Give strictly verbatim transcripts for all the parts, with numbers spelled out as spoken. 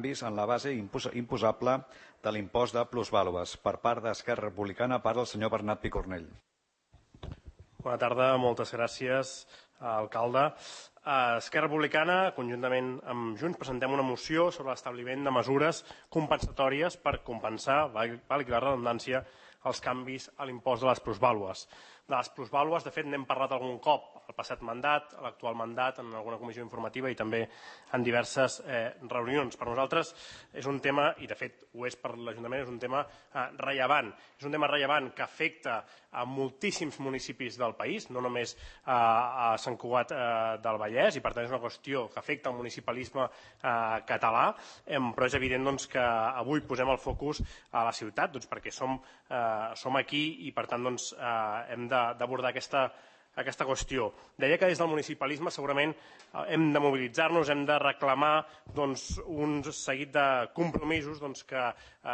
en la base imposable de l'impost de plusvàlues. Per part d'Esquerra Republicana parla el senyor Bernat Picornell. Bona tarda, moltes gràcies, alcalde. Esquerra Republicana, conjuntament amb Junts, presentem una moció sobre l'establiment de mesures compensatòries per compensar, valgui la redundància, els canvis a l'impost de les plusvàlues. De les plusvàlues, de fet, n'hem parlat algun cop al passat mandat, a l'actual mandat, en alguna comissió informativa i també en diverses reunions. Per nosaltres és un tema, i de fet ho és per l'Ajuntament, és un tema rellevant. És un tema rellevant que afecta a moltíssims municipis del país, no només a Sant Cugat del Vallès, i per tant és una qüestió que afecta el municipalisme català, però és evident que avui posem el focus a la ciutat perquè som aquí i per tant hem d'abordar aquesta aquesta qüestió. Deia que des del municipalisme segurament hem de mobilitzar-nos, hem de reclamar un seguit de compromisos que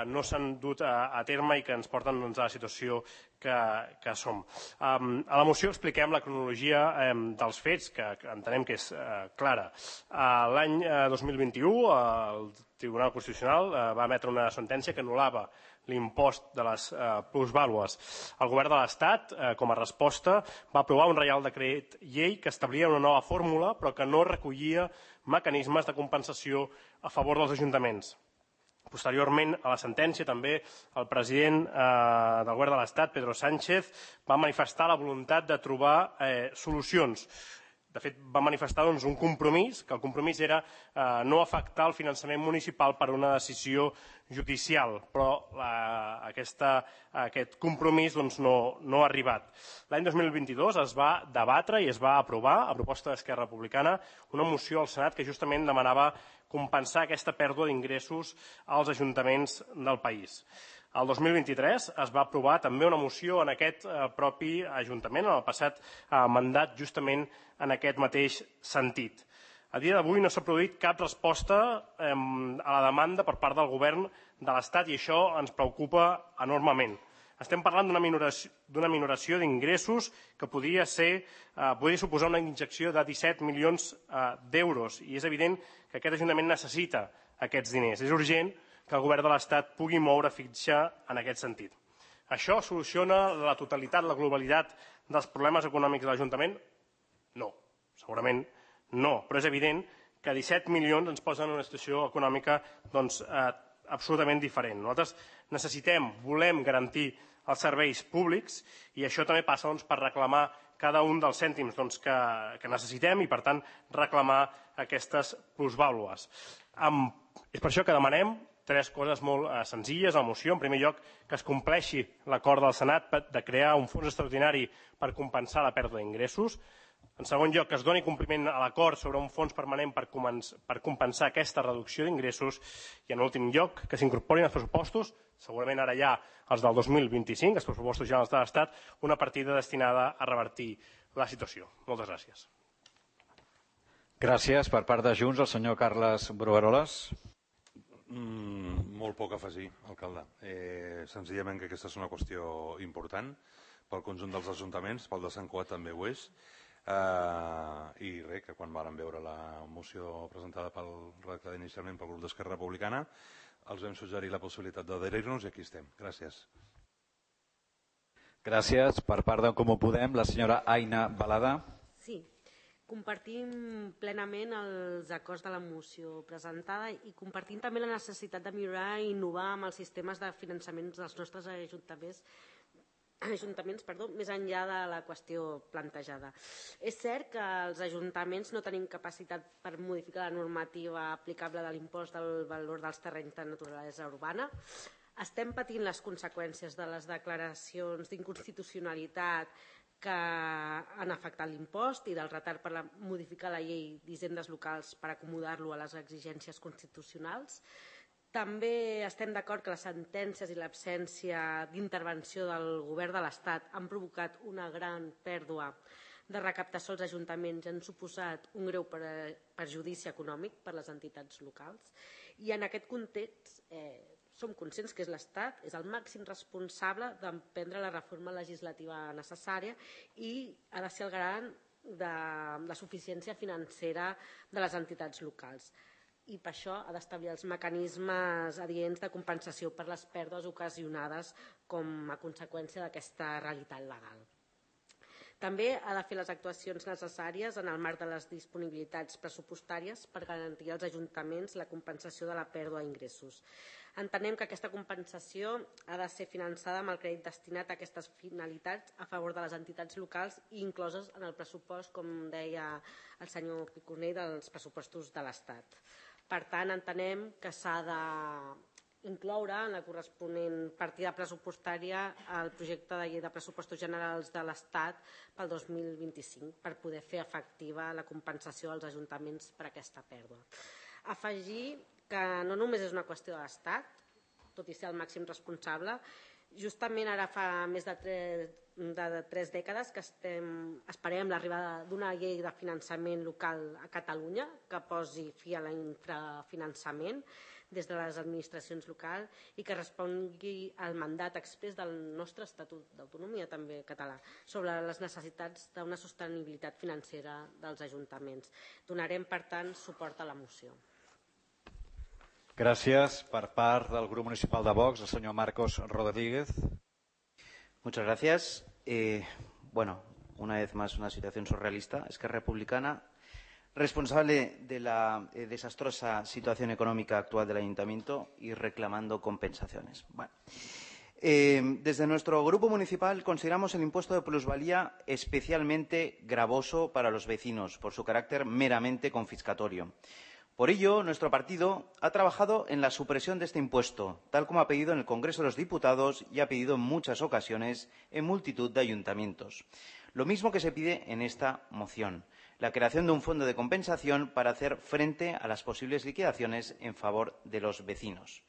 no s'han dut a terme i que ens porten a la situació que som. A la moció expliquem la cronologia dels fets, que entenem que és clara. L'any dos mil vint-i-u el Tribunal Constitucional va emetre una sentència que anul·lava l'impost de les plusvàlues. El govern de l'Estat, com a resposta, va aprovar un reial decret llei que establia una nova fórmula però que no recollia mecanismes de compensació a favor dels ajuntaments. Posteriorment a la sentència també el president del govern de l'Estat, Pedro Sánchez, va manifestar la voluntat de trobar solucions. De fet, va manifestar un compromís, que el compromís era no afectar el finançament municipal per una decisió judicial, però aquest compromís no ha arribat. L'any dos mil vint-i-dos es va debatre i es va aprovar, a proposta d'Esquerra Republicana, una moció al Senat que justament demanava compensar aquesta pèrdua d'ingressos als ajuntaments del país. El dos mil vint-i-tres es va aprovar també una moció en aquest propi Ajuntament, en el passat mandat, justament en aquest mateix sentit. A dia d'avui no s'ha produït cap resposta a la demanda per part del govern de l'Estat i això ens preocupa enormement. Estem parlant d'una minoració d'ingressos que podria suposar una injecció de disset milions d'euros i és evident que aquest Ajuntament necessita aquests diners. És urgent que el govern de l'Estat pugui moure fitxa en aquest sentit. Això soluciona la totalitat, la globalitat dels problemes econòmics de l'Ajuntament? No, segurament no, però és evident que disset milions ens posen en una situació econòmica absolutament diferent. Nosaltres necessitem, volem garantir els serveis públics i això també passa per reclamar cada un dels cèntims que necessitem i, per tant, reclamar aquestes plusvàlues. És per això que demanem tres coses molt senzilles a la moció. En primer lloc, que es compleixi l'acord del Senat de crear un fons extraordinari per compensar la pèrdua d'ingressos. En segon lloc, que es doni compliment a l'acord sobre un fons permanent per compensar aquesta reducció d'ingressos. I, en últim lloc, que s'incorporin als pressupostos, segurament ara ja els del dos mil vint-i-cinc, els pressupostos generals de l'Estat, una partida destinada a revertir la situació. Moltes gràcies. Gràcies. Per part de Junts, el senyor Carles Brugueroles. Molt poc a afegir, alcalde. Senzillament que aquesta és una qüestió important pel conjunt dels ajuntaments, pel de Sant Cugat també ho és, i res, que quan vàrem veure la moció presentada redactada inicialment pel grup d'Esquerra Republicana els vam suggerir la possibilitat d'adherir-nos i aquí estem. Gràcies. Gràcies. Per part d'en Comú Podem, la senyora Aina Balada. Sí. Compartim plenament els acords de la moció presentada i compartim també la necessitat de millorar i innovar amb els sistemes de finançament dels nostres ajuntaments, ajuntaments perdó, més enllà de la qüestió plantejada. És cert que els ajuntaments no tenim capacitat per modificar la normativa aplicable de l'impost del valor dels terrenys de naturalesa urbana. Estem patint les conseqüències de les declaracions d'inconstitucionalitat que han afectat l'impost i del retard per modificar la llei d'hisendes locals per acomodar-lo a les exigències constitucionals. També estem d'acord que les sentències i l'absència d'intervenció del govern de l'Estat han provocat una gran pèrdua de recaptació als ajuntaments i han suposat un greu perjudici econòmic per a les entitats locals. I en aquest context som conscients que és l'Estat, és el màxim responsable d'emprendre la reforma legislativa necessària i ha de ser el garant de la suficiència financera de les entitats locals. i per això ha d'establir els mecanismes adients de compensació per les pèrdues ocasionades com a conseqüència d'aquesta realitat legal. També ha de fer les actuacions necessàries en el marc de les disponibilitats pressupostàries per garantir als ajuntaments la compensació de la pèrdua d'ingressos. Entenem que aquesta compensació ha de ser finançada amb el crèdit destinat a aquestes finalitats a favor de les entitats locals i incloses en el pressupost, com deia el senyor Picornell, dels pressupostos de l'Estat. Per tant, entenem que s'ha de incloure en la corresponent partida pressupostària el projecte de llei de pressupostos generals de l'Estat pel dos mil vint-i-cinc per poder fer efectiva la compensació als ajuntaments per aquesta pèrdua. Afegir que no només és una qüestió de l'Estat, tot i ser el màxim responsable, justament ara fa més de tres, de tres dècades que estem, esperem l'arribada d'una llei de finançament local a Catalunya que posi fi a l'infrafinançament des de les administracions locals i que respongui al mandat exprés del nostre Estatut d'Autonomia també català sobre les necessitats d'una sostenibilitat financera dels ajuntaments. Donarem, per tant, suport a la moció. Gràcies. Per part del grup municipal de Vox, el senyor Marcos Rodríguez. Muchas gracias. Eh, bueno, una vez más una situación surrealista. Esquerra Republicana, responsable de la eh, desastrosa situación económica actual del Ayuntamiento y reclamando compensaciones. Bueno, eh, desde nuestro grupo municipal consideramos el impuesto de plusvalía especialmente gravoso para los vecinos por su carácter meramente confiscatorio. Por ello, nuestro partido ha trabajado en la supresión de este impuesto, tal como ha pedido en el Congreso de los Diputados y ha pedido en muchas ocasiones en multitud de ayuntamientos. Lo mismo que se pide en esta moción, la creación de un fondo de compensación para hacer frente a las posibles liquidaciones en favor de los vecinos.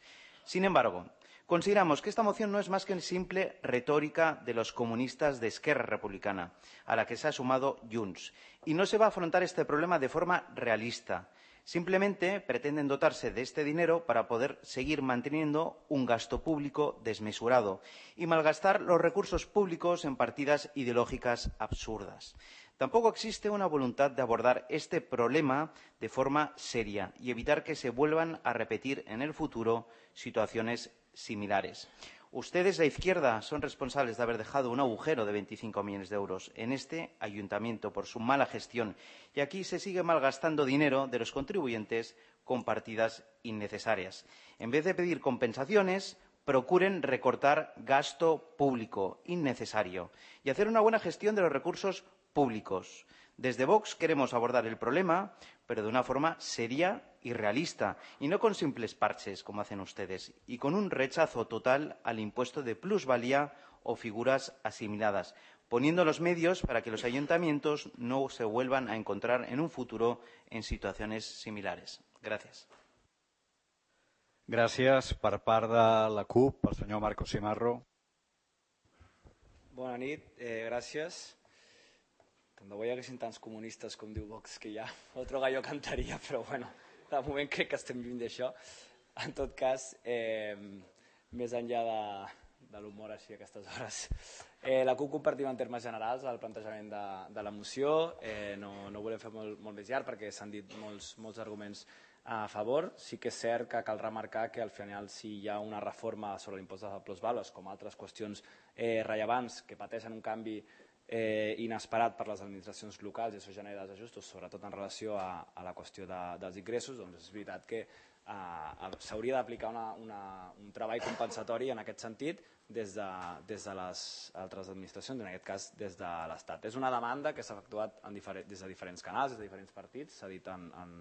Sin embargo, consideramos que esta moción no es más que simple retórica de los comunistas de Esquerra Republicana, a la que se ha sumado Junts, y no se va a afrontar este problema de forma realista. Simplemente pretenden dotarse de este dinero para poder seguir manteniendo un gasto público desmesurado y malgastar los recursos públicos en partidas ideológicas absurdas. Tampoco existe una voluntad de abordar este problema de forma seria y evitar que se vuelvan a repetir en el futuro situaciones similares. Ustedes, la izquierda, son responsables de haber dejado un agujero de veinticinco millones de euros en este ayuntamiento por su mala gestión y aquí se sigue malgastando dinero de los contribuyentes con partidas innecesarias. En vez de pedir compensaciones, procuren recortar gasto público innecesario y hacer una buena gestión de los recursos públicos. Desde Vox queremos abordar el problema, pero de una forma seria y realista, y no con simples parches, como hacen ustedes, y con un rechazo total al impuesto de plusvalía o figuras asimiladas, poniendo los medios para que los ayuntamientos no se vuelvan a encontrar en un futuro en situaciones similares. Gracias. Gràcies. Per part de la CUP, el senyor Marcos Simarro. Bona nit, eh, gràcies. Tant de bo hi haguessin tants comunistes com diu Vox que ja otro gallo cantaria, però bueno, de moment crec que estem lluny d'això. En tot cas, eh, més enllà de, de l'humor així a aquestes hores, eh, la CUP compartim en termes generals el plantejament de, de la moció. Eh, no, no volem fer molt, molt més llarg perquè s'han dit molts, molts arguments a favor. Sí que és cert que cal remarcar que al final si hi ha una reforma sobre l'impost de plusvàlues com altres qüestions eh, rellevants que pateixen un canvi eh, inesperat per les administracions locals i això genera desajustos, sobretot en relació a, a la qüestió de, dels ingressos, doncs és veritat que eh, s'hauria d'aplicar una, una, un treball compensatori en aquest sentit des de, des de les altres administracions, en aquest cas des de l'Estat. És una demanda que s'ha efectuat en diferent, des de diferents canals, des de diferents partits, s'ha dit en, en,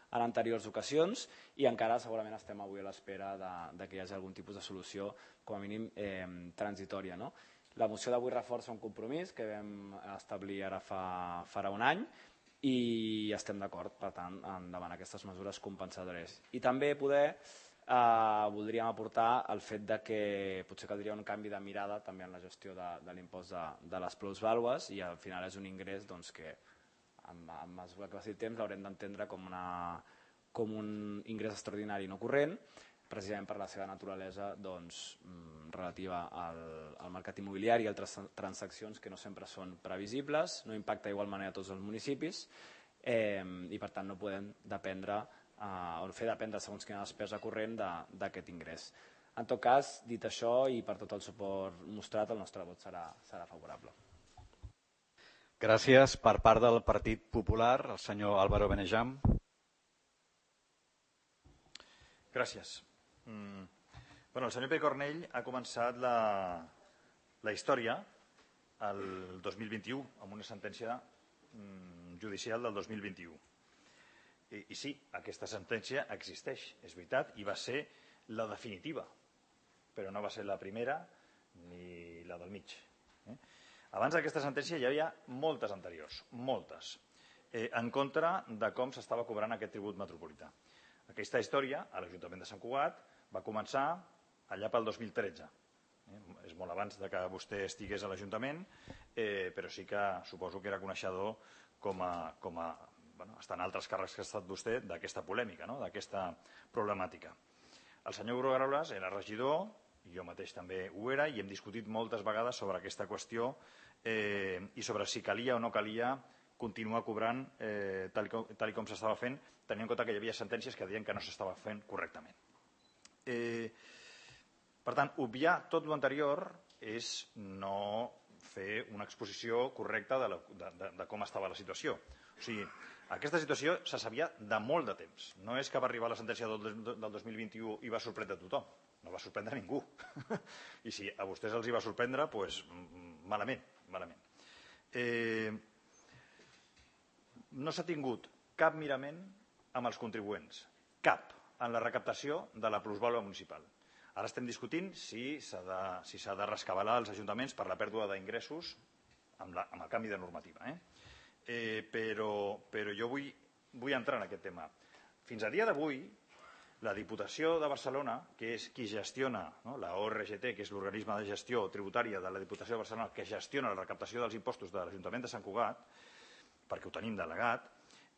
en anteriors ocasions i encara segurament estem avui a l'espera de, de que hi hagi algun tipus de solució com a mínim eh, transitòria, no? La moció d'avui reforça un compromís que vam establir ara fa, farà un any i estem d'acord, per tant, en demanar aquestes mesures compensadores. I també poder eh, voldríem aportar el fet de que potser caldria un canvi de mirada també en la gestió de, de l'impost de, de les plusvàlues i al final és un ingrés doncs, que en, en mesura que passi el temps l'haurem d'entendre com, una, com un ingrés extraordinari no corrent, precisament per la seva naturalesa doncs, relativa al, al mercat immobiliari i altres transaccions que no sempre són previsibles, no impacta d'igual manera a tots els municipis eh, i per tant no podem dependre o fer dependre segons quina despesa corrent d'aquest ingrés. En tot cas, dit això, i per tot el suport mostrat, el nostre vot serà favorable. Gràcies. Per part del Partit Popular, el senyor Álvaro Benejam. Gràcies. El senyor Pere Cornell ha començat la història el dos mil vint-i-u amb una sentència judicial del dos mil vint-i-u. I sí, aquesta sentència existeix, és veritat, i va ser la definitiva, però no va ser la primera ni la del mig. Abans d'aquesta sentència hi havia moltes anteriors, moltes, en contra de com s'estava cobrant aquest tribut metropolità. Aquesta història, a l'Ajuntament de Sant Cugat, va començar allà pel dos mil tretze. És molt abans que vostè estigués a l'Ajuntament, però sí que suposo que era coneixedor, com a estan altres càrrecs que ha estat vostè, d'aquesta polèmica, d'aquesta problemàtica. El senyor Brugueroles era regidor, jo mateix també ho era, i hem discutit moltes vegades sobre aquesta qüestió i sobre si calia o no calia continuar cobrant tal com s'estava fent, tenint en compte que hi havia sentències que deien que no s'estava fent correctament. Per tant, obviar tot l'anterior és no fer una exposició correcta de com estava la situació. O sigui, aquesta situació se sabia de molt de temps. No és que va arribar la sentència del dos mil vint-i-u i va sorprendre a tothom. No va sorprendre a ningú. I si a vostès els hi va sorprendre, doncs malament, malament. No s'ha tingut cap mirament amb els contribuents. Cap. En la recaptació de la plusvàlua municipal. Ara estem discutint si s'ha de rescabalar els ajuntaments per la pèrdua d'ingressos amb el canvi de normativa. Però jo vull entrar en aquest tema. Fins a dia d'avui, la Diputació de Barcelona, que és qui gestiona la O R G T, que és l'organisme de gestió tributària de la Diputació de Barcelona, que gestiona la recaptació dels impostos de l'Ajuntament de Sant Cugat, perquè ho tenim delegat,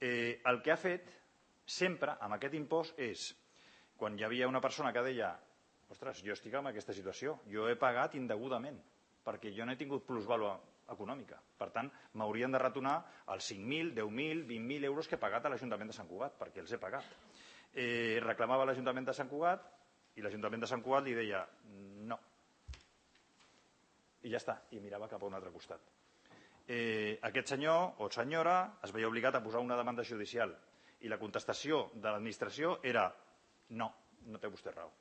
el que ha fet sempre amb aquest impost és, quan hi havia una persona que deia ostres, jo estic en aquesta situació, jo he pagat indegudament, perquè jo no he tingut plusvàlua econòmica. Per tant, m'haurien de retornar els cinc mil, deu mil, vint mil euros que he pagat a l'Ajuntament de Sant Cugat, perquè els he pagat. Reclamava l'Ajuntament de Sant Cugat i l'Ajuntament de Sant Cugat li deia no. I ja està, i mirava cap a un altre costat. Aquest senyor o senyora es veia obligat a posar una demanda judicial i la contestació de l'administració era no, no té vostè raó.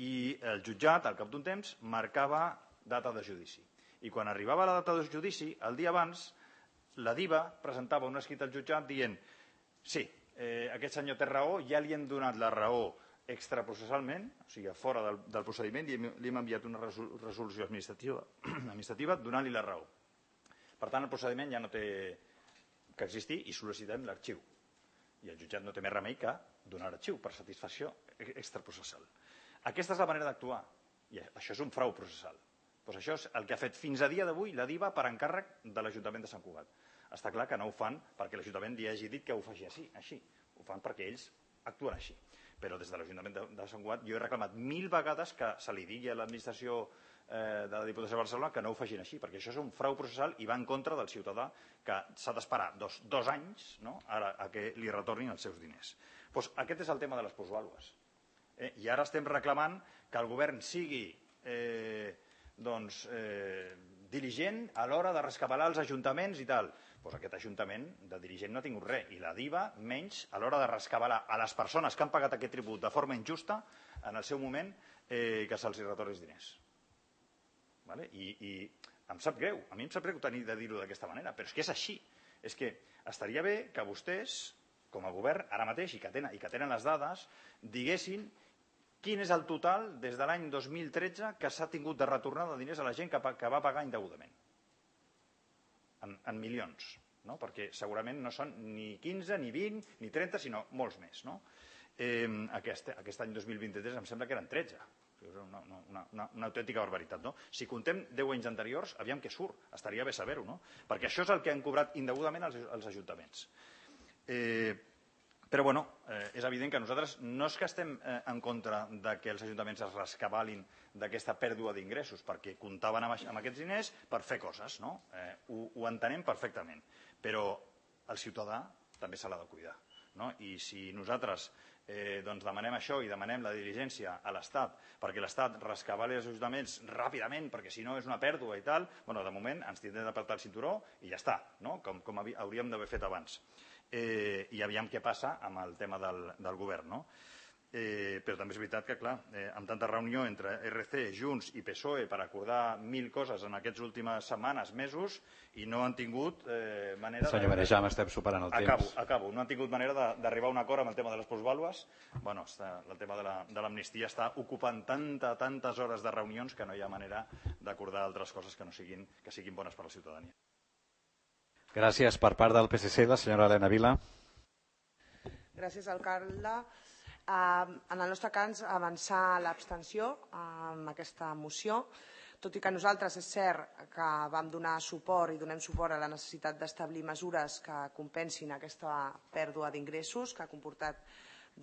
I el jutjat, al cap d'un temps, marcava data de judici. I quan arribava la data de judici, el dia abans, la DIVA presentava un escrit al jutjat dient sí, aquest senyor té raó, ja li hem donat la raó extraprocessalment, o sigui, fora del procediment, i li hem enviat una resolució administrativa donant-li la raó. Per tant, el procediment ja no té que existir i sol·licitem l'arxiu. I el jutjat no té més remei que donar l'arxiu per satisfacció extraprocessal. Aquesta és la manera d'actuar, i això és un frau processal. Doncs això és el que ha fet fins a dia d'avui la DIVA per encàrrec de l'Ajuntament de Sant Cugat. Està clar que no ho fan perquè l'Ajuntament li hagi dit que ho faci així, ho fan perquè ells actuen així. Però des de l'Ajuntament de Sant Cugat jo he reclamat mil vegades que se li digui a l'administració de la Diputació de Barcelona que no ho facin així, perquè això és un frau processal i va en contra del ciutadà que s'ha d'esperar dos anys a que li retornin els seus diners. Aquest és el tema de les plusvàlues. I ara estem reclamant que el govern sigui diligent a l'hora de rescabalar els ajuntaments i tal. Doncs aquest ajuntament de dirigent no ha tingut res, i la DIVA menys a l'hora de rescabalar a les persones que han pagat aquest tribut de forma injusta en el seu moment que se'ls retorni els diners. I em sap greu, a mi em sap greu tenir de dir-ho d'aquesta manera, però és que és així. És que estaria bé que vostès, com a govern, ara mateix, i que tenen les dades, diguessin quin és el total des de l'any dos mil tretze que s'ha tingut de retornar de diners a la gent que va pagar indegudament. En milions, perquè segurament no són ni quinze, ni vint, ni trenta, sinó molts més. Aquest any dos mil vint-i-tres em sembla que eren tretze. Una autèntica barbaritat. Si contem deu anys anteriors, aviam què surt. Estaria bé saber-ho, perquè això és el que han cobrat indegudament els ajuntaments. Però, bueno, és evident que nosaltres no és que estem en contra que els ajuntaments es rescabalin d'aquesta pèrdua d'ingressos, perquè comptaven amb aquests diners per fer coses, no? Ho entenem perfectament. Però el ciutadà també se l'ha de cuidar. I si nosaltres demanem això i demanem la diligència a l'Estat perquè l'Estat rescabali els ajuntaments ràpidament, perquè si no és una pèrdua i tal, de moment ens tindrem d'apartar el cinturó i ja està, com hauríem d'haver fet abans. I aviam què passa amb el tema del govern. Però també és veritat que, clar, amb tanta reunió entre R C, Junts i P S O E per acordar mil coses en aquestes últimes setmanes, mesos, i no han tingut manera... Senyor Marejam, estem superant el temps. Acabo, acabo. No han tingut manera d'arribar a un acord amb el tema de les plusvàlues. Bueno, el tema de l'amnistia està ocupant tantes, tantes hores de reunions que no hi ha manera d'acordar altres coses que siguin bones per a la ciutadania. Gràcies. Per part del P S C, la senyora Elena Vila. Gràcies, alcalde. En el nostre cas, avançar l'abstenció amb aquesta moció, tot i que nosaltres és cert que vam donar suport i donem suport a la necessitat d'establir mesures que compensin aquesta pèrdua d'ingressos que ha comportat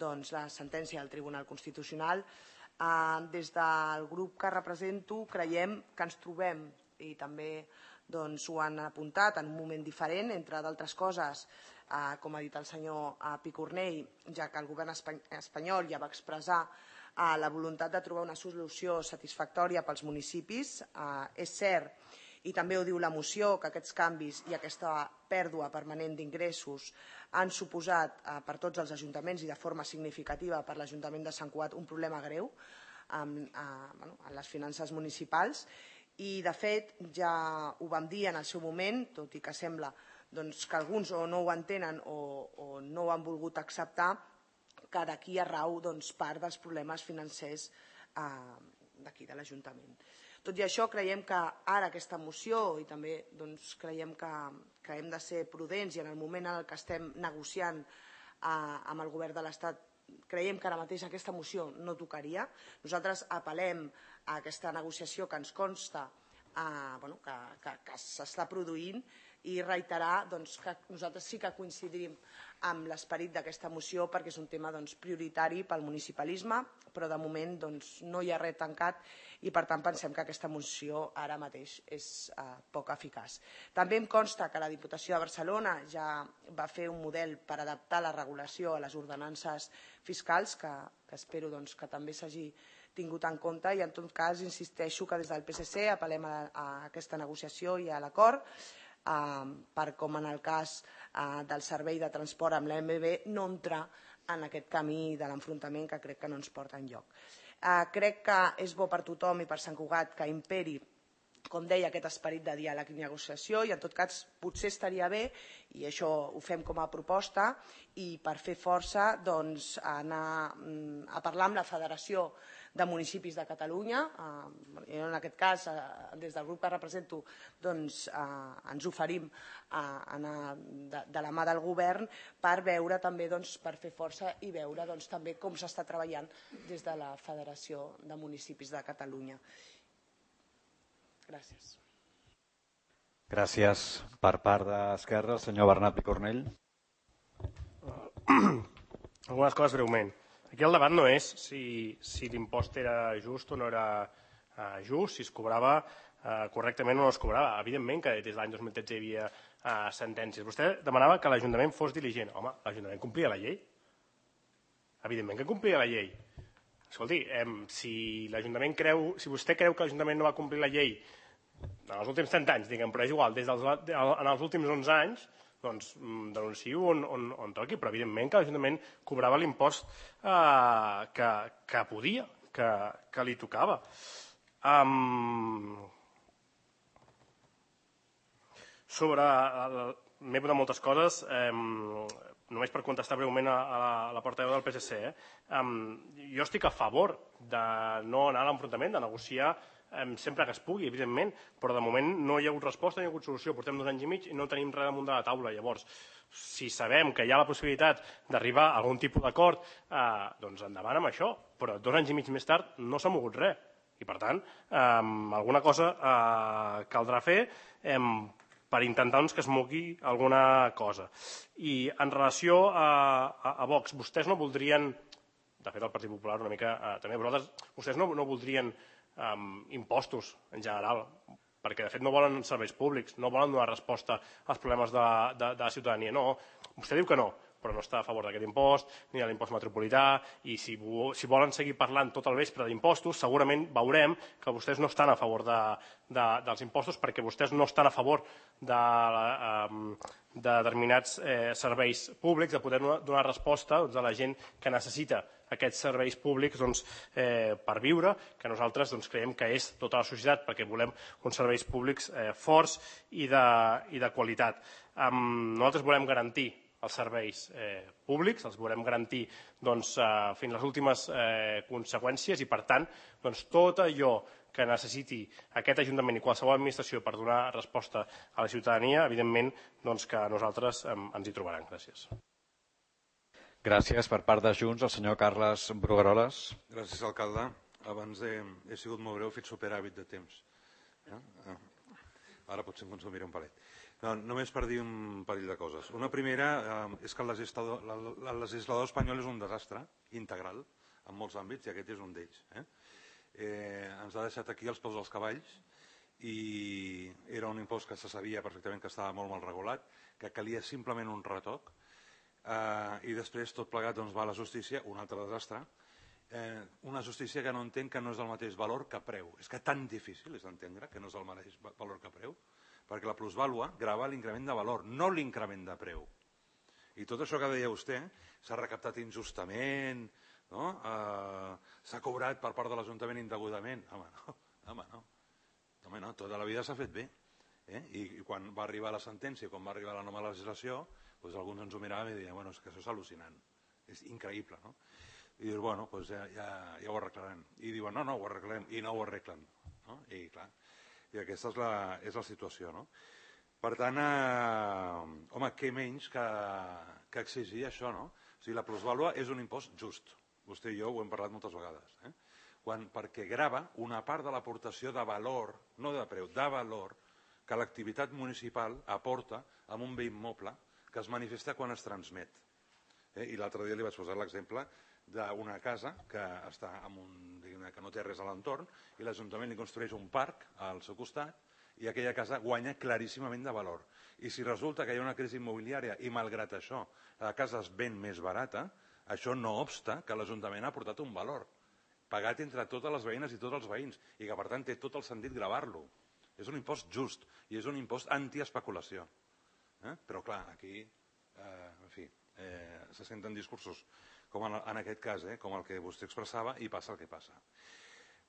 la sentència del Tribunal Constitucional. Des del grup que represento creiem que ens trobem, i també ho han apuntat, en un moment diferent, entre d'altres coses, com ha dit el senyor Picornell, ja que el govern espanyol ja va expressar la voluntat de trobar una solució satisfactòria pels municipis. És cert, i també ho diu la moció, que aquests canvis i aquesta pèrdua permanent d'ingressos han suposat per tots els ajuntaments i de forma significativa per l'Ajuntament de Sant Cugat un problema greu en les finances municipals. I, de fet, ja ho vam dir en el seu moment, tot i que sembla que alguns o no ho entenen o no ho han volgut acceptar, que d'aquí hi rau part dels problemes financers d'aquí, de l'Ajuntament. Tot i això, creiem que ara aquesta moció, i també creiem que hem de ser prudents i en el moment en què estem negociant amb el govern de l'Estat, creiem que ara mateix aquesta moció no tocaria. Nosaltres apel·lem a aquesta negociació que ens consta que s'està produint i reiterar que nosaltres sí que coincidim amb l'esperit d'aquesta moció perquè és un tema prioritari pel municipalisme, però de moment no hi ha res tancat i per tant pensem que aquesta moció ara mateix és poc eficaç. També em consta que la Diputació de Barcelona ja va fer un model per adaptar la regulació a les ordenances fiscals, que espero que també s'hagi tingut en compte, i en tot cas insisteixo que des del P S C apel·lem a aquesta negociació i a l'acord, per com en el cas del servei de transport amb l'A M B no entrar en aquest camí de l'enfrontament que crec que no ens porta enlloc. Crec que és bo per tothom i per Sant Cugat que imperi, com deia, aquest esperit de diàleg i negociació, i en tot cas potser estaria bé, i això ho fem com a proposta, i per fer força anar a parlar amb la Federació de Municipis de Catalunya. En aquest cas, des del grup que represento, ens oferim a anar de la mà del govern per veure també, per fer força i veure també com s'està treballant des de la Federació de Municipis de Catalunya. Gràcies. Gràcies. Per part d'Esquerra, el senyor Bernat Picornell. Algunes coses breument. Aquí el debat no és si l'impost era just o no era just, si es cobrava correctament o no es cobrava. Evidentment que des de l'any dos mil tretze hi havia sentències. Vostè demanava que l'Ajuntament fos diligent. Home, l'Ajuntament complia la llei. Evidentment que complia la llei. Escolti, si l'Ajuntament creu, si vostè creu que l'Ajuntament no va complir la llei en els últims trenta anys, diguem, però és igual, en els últims onze anys, doncs denunciï-ho on toqui, però evidentment que l'Ajuntament cobrava l'impost que podia, que li tocava. Sobre... m'he posat moltes coses, només per contestar breument a la portaveu del P S C. Jo estic a favor de no anar a l'enfrontament, de negociar sempre que es pugui, evidentment, però de moment no hi ha hagut resposta, no hi ha hagut solució. Portem dos anys i mig i no tenim res damunt de la taula. Llavors, si sabem que hi ha la possibilitat d'arribar a algun tipus d'acord, doncs endavant amb això. Però dos anys i mig més tard no s'ha mogut res. I, per tant, alguna cosa caldrà fer per intentar que es mogui alguna cosa. I en relació a Vox, vostès no voldrien, de fet el Partit Popular una mica també, vosaltres, vostès no voldrien impostos en general, perquè de fet no volen serveis públics, no volen donar resposta als problemes de la ciutadania. No, vostè diu que no, però no està a favor d'aquest impost ni de l'impost metropolità, i si, si volen seguir parlant tot el vespre d'impostos, segurament veurem que vostès no estan a favor de, de, dels impostos, perquè vostès no estan a favor de, eh, de determinats eh, serveis públics, de poder donar resposta doncs, a la gent que necessita aquests serveis públics doncs, eh, per viure, que nosaltres doncs, creiem que és tota la societat, perquè volem uns serveis públics eh, forts i de, i de qualitat. Um, nosaltres volem garantir els serveis eh, públics, els volem garantir doncs, eh, fins les últimes eh, conseqüències, i per tant doncs, tot allò que necessiti aquest Ajuntament i qualsevol administració per donar resposta a la ciutadania, evidentment doncs, que nosaltres eh, ens hi trobaran. Gràcies. Gràcies. Per part de Junts, el senyor Carles Brugueroles. Gràcies, alcalde. Abans he, he sigut molt breu, he fet superàvit de temps. Eh? Ara potser em consumiré un palet. No, només per dir un parell de coses. Una primera eh, és que el legislador, la, la, el legislador espanyol és un desastre integral en molts àmbits, i aquest és un d'ells. Eh? Eh, ens ha deixat aquí els peus als cavalls, i era un impost que se sabia perfectament que estava molt mal regulat, que calia simplement un retoc, Uh, i després tot plegat doncs, va a la justícia, un altre desastre, eh, una justícia que no entén que no és el mateix valor que preu. És que tan difícil és d'entendre que no és el mateix valor que preu, perquè la plusvàlua grava l'increment de valor, no l'increment de preu. I tot això que deia vostè s'ha recaptat injustament, no? uh, s'ha cobrat per part de l'Ajuntament indegudament. Home, no, home, no. Home, no, tota la vida s'ha fet bé. Eh? I, I quan va arribar la sentència, quan va arribar la nova legislació, doncs alguns ens ho miraven i deien, bueno, és que això és al·lucinant, és increïble, no? I dius, bueno, doncs ja, ja, ja ho arreglarem. I diuen, no, no, ho arreglarem, i no ho arreglen. No? I clar, i aquesta és la, és la situació, no? Per tant, eh, home, què menys que, que exigir això, no? O sigui, la plusvàlua és un impost just. Vostè i jo ho hem parlat moltes vegades, eh? Quan, perquè grava una part de l'aportació de valor, no de preu, de valor, que l'activitat municipal aporta amb un bé immoble que es manifesta quan es transmet. Eh? I l'altre dia li vaig posar l'exemple d'una casa que està en un, que no té res a l'entorn, i l'Ajuntament li construeix un parc al seu costat, i aquella casa guanya claríssimament de valor. I si resulta que hi ha una crisi immobiliària i malgrat això la casa es ven més barata, això no obsta que l'Ajuntament ha aportat un valor pagat entre totes les veïnes i tots els veïns, i que per tant té tot el sentit gravar-lo. És un impost just i és un impost antiespeculació. Eh? Però clar, aquí eh, en fi, eh, se senten discursos com en, en aquest cas, eh, com el que vostè expressava, i passa el que passa.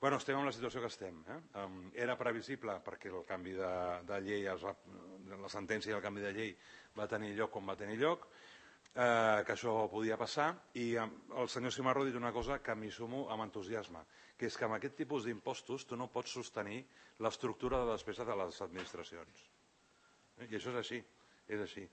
Bueno, estem en la situació que estem. Eh? Um, era previsible perquè el canvi de, de llei, es va, la sentència i el canvi de llei va tenir lloc com va tenir lloc, eh, que això podia passar, i eh, el senyor Cimarro ha dit una cosa que m'hi sumo amb entusiasme, que és que amb aquest tipus d'impostos tu no pots sostenir l'estructura de despesa de les administracions. Eh? I això és així, és així.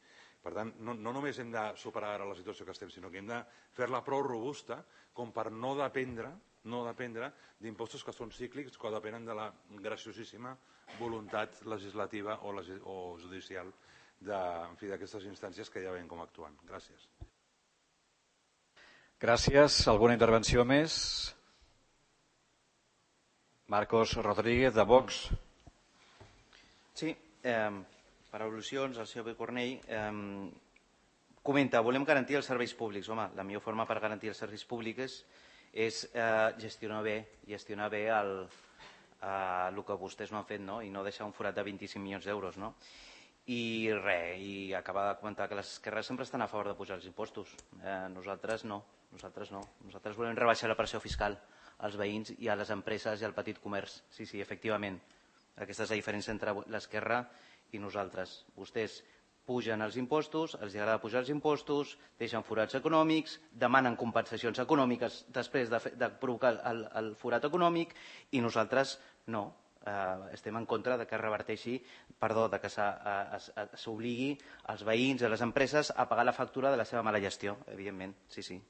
Per tant, no, no només hem de superar ara la situació que estem, sinó que hem de fer-la prou robusta com per no dependre no dependre d'impostos que són cíclics, que depenen de la graciosíssima voluntat legislativa o, legis o judicial d'aquestes instàncies que ja veiem com actuen. Gràcies. Gràcies. Alguna intervenció més? Marcos Rodríguez, de Vox. Sí, eh, per al·lusions, el senyor Cornell eh, comenta, volem garantir els serveis públics. Home, la millor forma per garantir els serveis públics és eh, gestionar bé, gestionar bé el, eh, el que vostès no han fet, no? I no deixar un forat de vint-i-cinc milions d'euros. No? I res, i acaba de comentar que les esquerres sempre estan a favor de pujar els impostos. Eh, nosaltres no, nosaltres no. Nosaltres volem rebaixar la pressió fiscal als veïns i a les empreses i al petit comerç. Sí, sí, efectivament. Aquesta és la diferència entre l'esquerra i nosaltres. Vostès pugen els impostos, els agrada pujar els impostos, deixen forats econòmics, demanen compensacions econòmiques després de, de provocar el, el forat econòmic, i nosaltres no. Eh, estem en contra de que reverteixi, perdó, de que s'obligui als veïns i a les empreses a pagar la factura de la seva mala gestió, evidentment, sí, sí.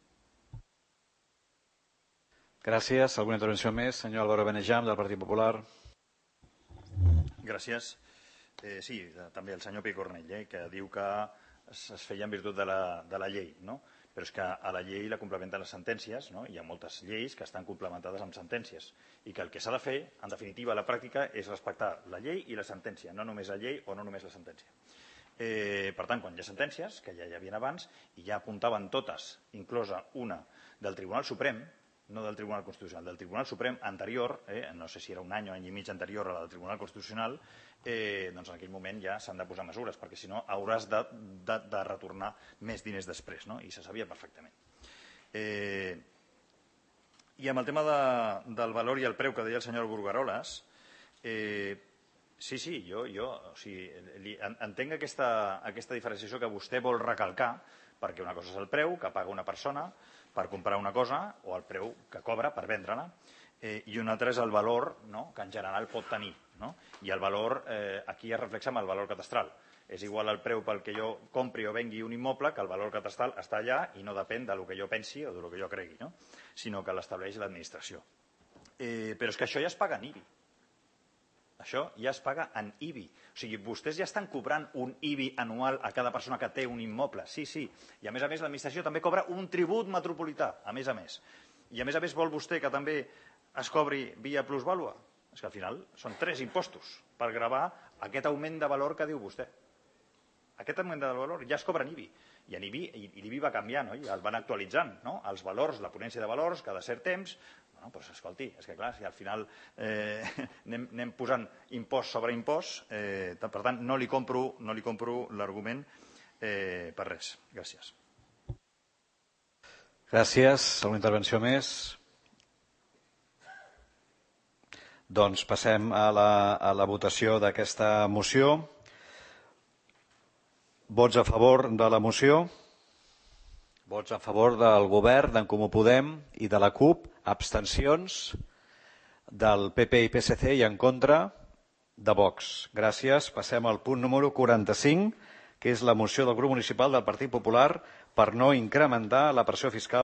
Gràcies. Alguna intervenció més? Senyor Álvaro Benejam, del Partit Popular. Gràcies. Eh, sí, també el senyor Picornell, eh, que diu que es, es feia en virtut de la, de la llei, no? Però és que a la llei la complementen les sentències, no? Hi ha moltes lleis que estan complementades amb sentències, i que el que s'ha de fer, en definitiva, a la pràctica, és respectar la llei i la sentència, no només la llei o no només la sentència. Eh, per tant, quan hi ha sentències, que ja hi havia abans, i ja apuntaven totes, inclosa una del Tribunal Suprem, no del Tribunal Constitucional, del Tribunal Suprem anterior, eh, no sé si era un any o any i mig anterior a la del Tribunal Constitucional, eh, doncs en aquell moment ja s'han de posar mesures, perquè si no hauràs de, de, de retornar més diners després, no? I se sabia perfectament. Eh, I amb el tema de, del valor i el preu que deia el senyor Burgaroles, eh, sí, sí, jo, jo o sigui, li, entenc aquesta, aquesta diferenciació que vostè vol recalcar, perquè una cosa és el preu que paga una persona per comprar una cosa o el preu que cobra per vendre-la, eh, i un altre és el valor, no?, que en general pot tenir. No? I el valor, eh, aquí es reflexa amb el valor catastral. És igual el preu pel que jo compri o vengui un immoble que el valor catastral està allà i no depèn del que jo pensi o del que jo cregui, no? Sinó que l'estableix l'administració. Eh, però és que això ja es paga en I B I. Això ja es paga en I B I. O sigui, vostès ja estan cobrant un I B I anual a cada persona que té un immoble. Sí, sí. I a més a més l'administració també cobra un tribut metropolità, a més a més. I a més a més vol vostè que també es cobri via plusvàlua? És que al final són tres impostos per gravar aquest augment de valor que diu vostè. Aquest augment de valor ja es cobra en I B I. I en I B I, i l'I B I va canviant, no? I el van actualitzant, no? Els valors, la ponència de valors, cada cert temps. Bueno, doncs escolti, és que clar, si al final eh, anem, anem posant impost sobre impost, eh, per tant, no li compro, no li compro l'argument eh, per res. Gràcies. Gràcies. Una intervenció més? Doncs passem a la, a la votació d'aquesta moció. Vots a favor de la moció? Vots a favor del govern, d'en Comú Podem i de la CUP. Abstencions del P P i P S C i en contra de Vox. Gràcies. Passem al punt número quaranta-cinc, que és la moció del grup municipal del Partit Popular per no incrementar la pressió fiscal